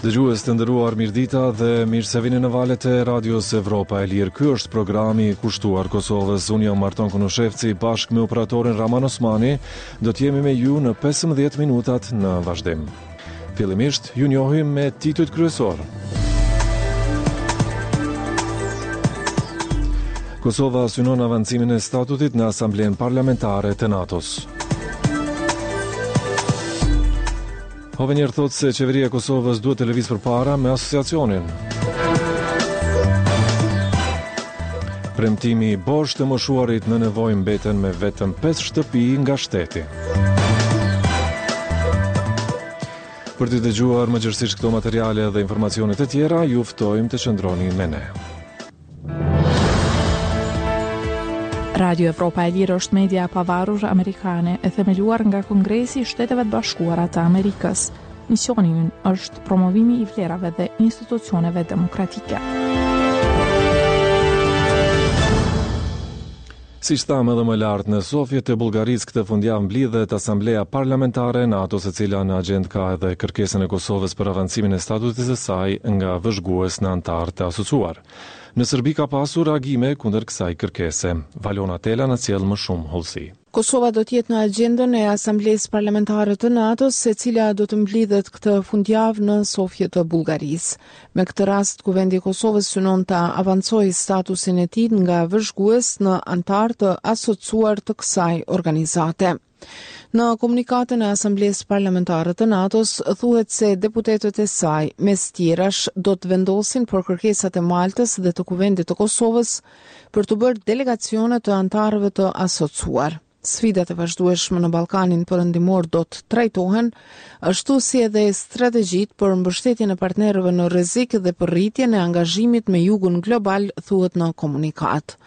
Dëgjues të nderuar, mirëdita dhe mirë se vini në valët e Radios Evropa e Lirë. Ky është programi i kushtuar Kosovës. Unë jam Marton Konushevci, bashkë me operatorin Raman Osmani, do të jemi me ju në 15 minutat në vazhdim. Fillimisht, ju njohim me titujt kryesorë. Kosova synon avancimin e statutit në Asamblenë Parlamentare të NATO-s. Hovenier thotë se qeveria e Kosovës duhet të lëvizë përpara me asociacionin. Premtimi bosh të moshuarit në nevojë mbeten me vetëm 5 shtëpi nga shteti. Për të dëgjuar më gjerësisht këto materiale dhe informacione të tjera, ju ftojmë të qëndroni me ne. Radio Evropa e Lirë është media e pavarur amerikane e themeluar nga Kongresi i Shteteve të Bashkuara të Amerikës. Misioni ynë është promovimi i vlerave dhe institucioneve demokratike. Siç thamë edhe më lart, në Sofje të Bullgarisë këtë fundjavë mblidhet Asambleja Parlamentare e NATO-s e cila në agjendë ka edhe kërkesën e Kosovës për avancimin e statusit të saj nga vëzhgues në anëtar të asociuar. Në Serbi ka pasur reagime kundër kësaj kërkese. Valona Tela na sjell më shumë hollësi. Kosova do të jetë në agjendën e Asamblesë Parlamentare të NATO-s, e cila do të mblidhet këtë fundjavë në Sofje të Bullgarisë. Me këtë rast, Kuvendi i Kosovës synon ta avancojë statusin e tij nga vëzhgues në anëtar të asociuar të kësaj organizate. Në komunikatën e Asamblesë Parlamentare të NATO-s thuhet se deputetët e saj, mes tjerash, do të vendosin për kërkesat e Maltës dhe të Kuvendit të Kosovës për t'u bërë delegacione të anëtarëve të asociuar. Sfidat e vazhdueshme në Ballkanin Perëndimor do të trajtohen, ashtu si edhe strategjitë për mbështetjen e partnerëve në rrezik dhe për rritjen e angazhimit me jugun global, thuhet në komunikatë.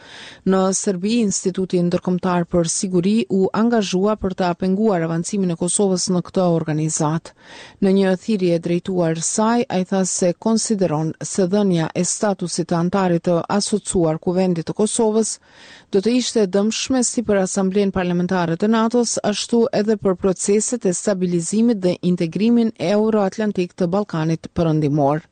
Në Serbi, Instituti Ndërkombëtar për Siguri u angazhua për ta penguar avancimin e Kosovës në këtë organizatë. Në një thirrje drejtuar saj, ai tha se konsideron se dhënia e statusit të anëtarit të asociuar Kuvendit të Kosovës do të ishte e dëmshme si për Asamblenë Parlamentare të NATO-s, ashtu edhe për proceset e stabilizimit dhe integrimin euroatlantik të Ballkanit Perëndimor.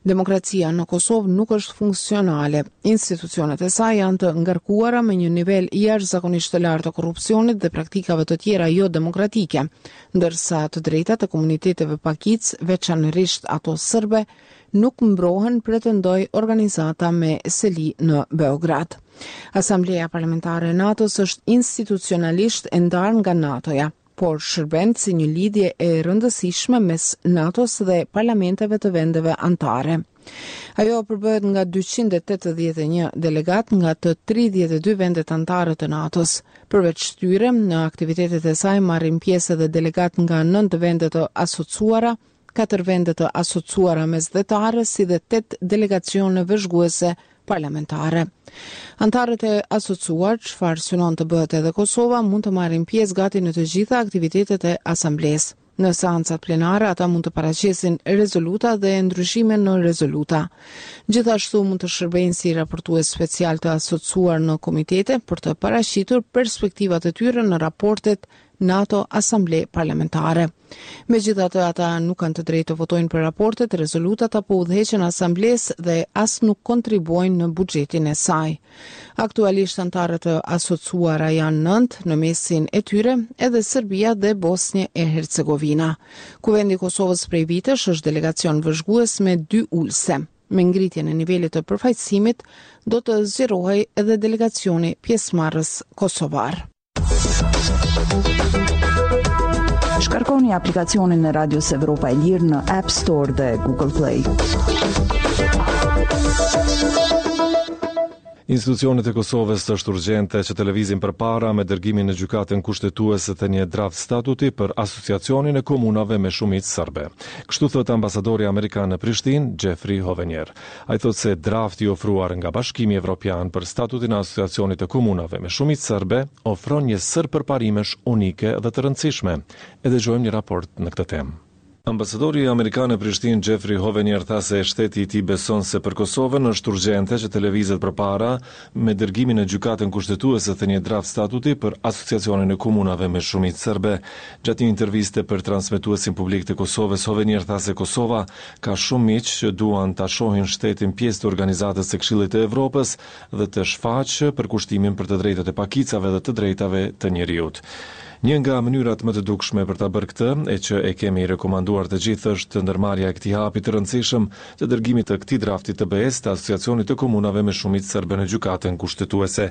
Demokracia në Kosovë nuk është funksionale. Institucionet e saj janë të ngarkuara me një nivel jashtëzakonisht të lartë të korrupsionit dhe praktikave të tjera jo demokratike, ndërsa të drejtat e komuniteteve pakicë, veçanërisht ato sërbe, nuk mbrohen, pretendoi organizata me seli në Beograd. Asambleja Parlamentare e NATO-s është institucionalisht e ndarë nga NATO-ja. por shërben si një lidhje e rëndësishme mes NATO-s dhe parlamenteve të vendeve anëtare. Ajo përbëhet nga 281 delegatë nga të 32 vendet anëtare të NATO-s. Përveç tyre, në aktivitetet e saj marrin pjesë edhe delegatë nga 9 vende të asociuara, katër vende të asociuara mesdhetare si dhe 8 delegacione vëzhguese parlamentare. Anëtarët e asociuar, çfarë synon të bëhet edhe Kosova, mund të marrin pjesë gati në të gjitha aktivitetet e asamblesë. Në seancat plenare ata mund të paraqesin rezoluta dhe ndryshime në rezoluta. Gjithashtu mund të shërbejnë si raportues special të asociuar në komitete për të paraqitur perspektivat e tyre në raportet NATO Asamble Parlamentare. Megjithatë, ata nuk kanë të drejtë të votojnë për raportet, rezolutat apo udhëheqjen e asamblesë dhe as nuk kontribuojnë në buxhetin e saj. Aktualisht anëtarët e asociuara janë 9, në mesin e tyre edhe Serbia dhe Bosnjë e Hercegovina. Kuvendi i Kosovës prej vitesh është delegacion vëzhgues me dy ulëse. Me ngritjen e nivelit të përfaqësimit do të zgjerohej edhe delegacioni pjesëmarrës kosovar. Shkarkoni aplikacionin e Radios Evropa e Lirë në App Store dhe Google Play. Institucionet e Kosovës është urgjente që të lëvizin përpara me dërgimin në gjykatën kushtetuese të një draft statuti për asociacionin e komunave me shumicë serbe. Kështu thotë ambasadori amerikan në Prishtinë, Jeffrey Hovenier. Ai thotë se drafti i ofruar nga Bashkimi Evropian për statutin e Asociacionit të Komunave me shumicë serbe ofron një sërë përparimesh unike dhe të rëndësishme. E dëgjojmë një raport në këtë temë. Ambasadori amerikan në Prishtinë, Jeffrey Hovenier tha se shteti i tij beson se për Kosovën është urgjente që të lëvizet përpara me dërgimin në Gjykatën Kushtetuese të një draft statuti për Asociacionin e Komunave me shumicë serbe. Gjatë një interviste për transmetuesin publik të Kosovës, Hovenier tha se Kosova ka shumë miq që duan ta shohin shtetin pjesë të organizatës së Këshillit të Evropës dhe të shfaqë përkushtimin për të drejtat e pakicave dhe të drejtave të njeriut. Një nga mënyrat më të dukshme për ta bërë këtë, e që e kemi rekomanduar të gjithë është ndërmarrja e këtij hapi të rëndësishëm të dërgimit të këtij drafti të BE-së të Asociacionit të Komunave me shumicë serbe në Gjykatën Kushtetuese.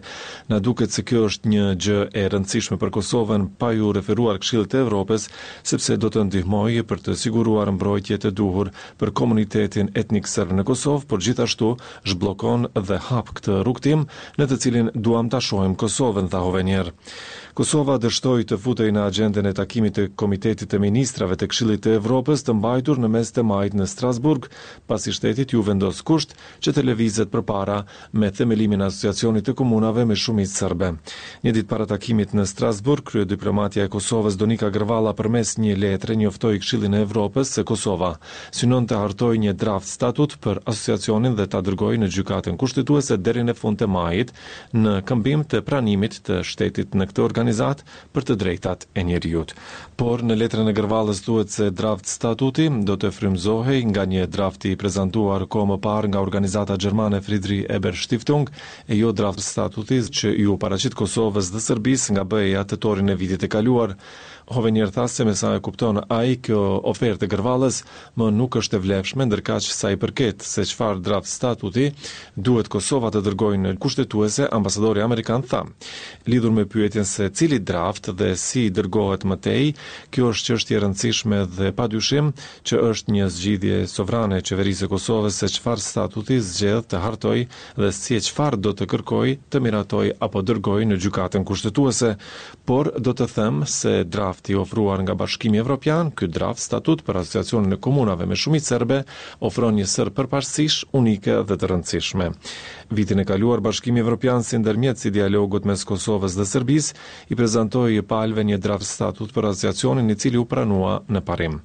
Na duket se kjo është një gjë e rëndësishme për Kosovën pa iu referuar Këshillit të Evropës, sepse do të ndihmojë për të siguruar mbrojtje të duhur për komunitetin etnik serb në Kosovë, por gjithashtu zhbllokon dhe hap këtë rrugëtim në të cilin duam ta shohim Kosovën, tha Hovenier. Kosova dështoi të futej në agjendën e takimit të Komitetit të Ministrave të Këshillit të Evropës të mbajtur në mes të majit në Strasburg, pasi shtetit iu vendos kusht që të lëvizet përpara me themelimin e Asociacionit të Komunave me shumicë serbe. Një ditë para takimit në Strasburg, kryediplomatja e Kosovës Donika Gërvalla përmes një letre njoftoi Këshillin e Evropës se Kosova synon të hartojë një draft statut për Asociacionin dhe ta dërgojë në Gjykatën Kushtetuese deri në fund të majit, në këmbim të pranimit të shtetit në këtë organizatë për të drejtat e njeriut. Por, në letrën e Gërvallës thuhet se draft statuti do të frymëzohej nga një draft i prezantuar kohë më parë nga organizata gjermane Friedrich Ebert Stiftung, e jo draft statuti që iu paraqit Kosovës dhe Serbisë nga BE-ja tetorin e vitit të kaluar. Hovenier tha se me sa e kupton ai, kjo ofertë e Gërvallës më nuk është e vlefshme, ndërkaq sa i përket se çfarë draft statuti duhet Kosova të dërgojë në Kushtetuese, ambasadori amerikan tha, lidhur me pyetjen se cili draft dhe si dërgohet më tej, kjo është çështje e rëndësishme dhe padyshim që është një zgjidhje sovrane e Qeverisë së Kosovës se çfarë statuti zgjedh të hartojë dhe si e çfarë do të kërkojë të miratojë apo dërgojë në Gjykatën Kushtetuese, por do të them se drafti i ofruar nga Bashkimi Evropian, ky draft statut për Asociacionin e Komunave me shumicë serbe, ofron një sërë përparësish unike dhe të rëndësishme. Vitin e kaluar, Bashkimi Evropian si ndërmjetës i dialogut mes Kosovës dhe Serbisë, i prezantoi palëve një draft statut për Asociacionin i cili u pranua në parim.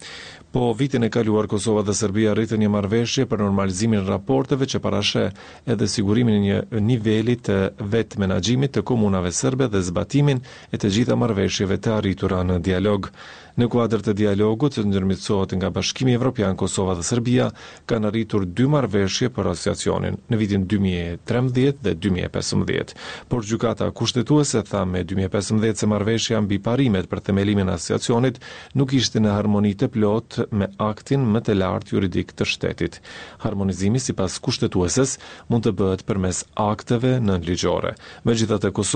Po vitin e kaluar Kosova dhe Serbia arritën një marrëveshje për normalizimin e raporteve që parasheh edhe sigurimin e një niveli të vetëmenaxhimit të komunave serbe dhe zbatimin e të gjitha marrëveshjeve të arritura në dialog. Në kuadër të dialogut që ndërmjetësohet nga Bashkimi Evropian, Kosova dhe Serbia kanë arritur dy marrëveshje për Asociacionin, në vitin 2013 dhe 2015. Por Gjykata Kushtetuese tha me 2015 se marrëveshja mbi parimet për themelimin e Asociacionit nuk ishte në harmoni të plotë me aktin më të lartë juridik të shtetit. Harmonizimi sipas Kushtetueses mund të bëhet përmes akteve nënligjore. Megjithatë, Kosova.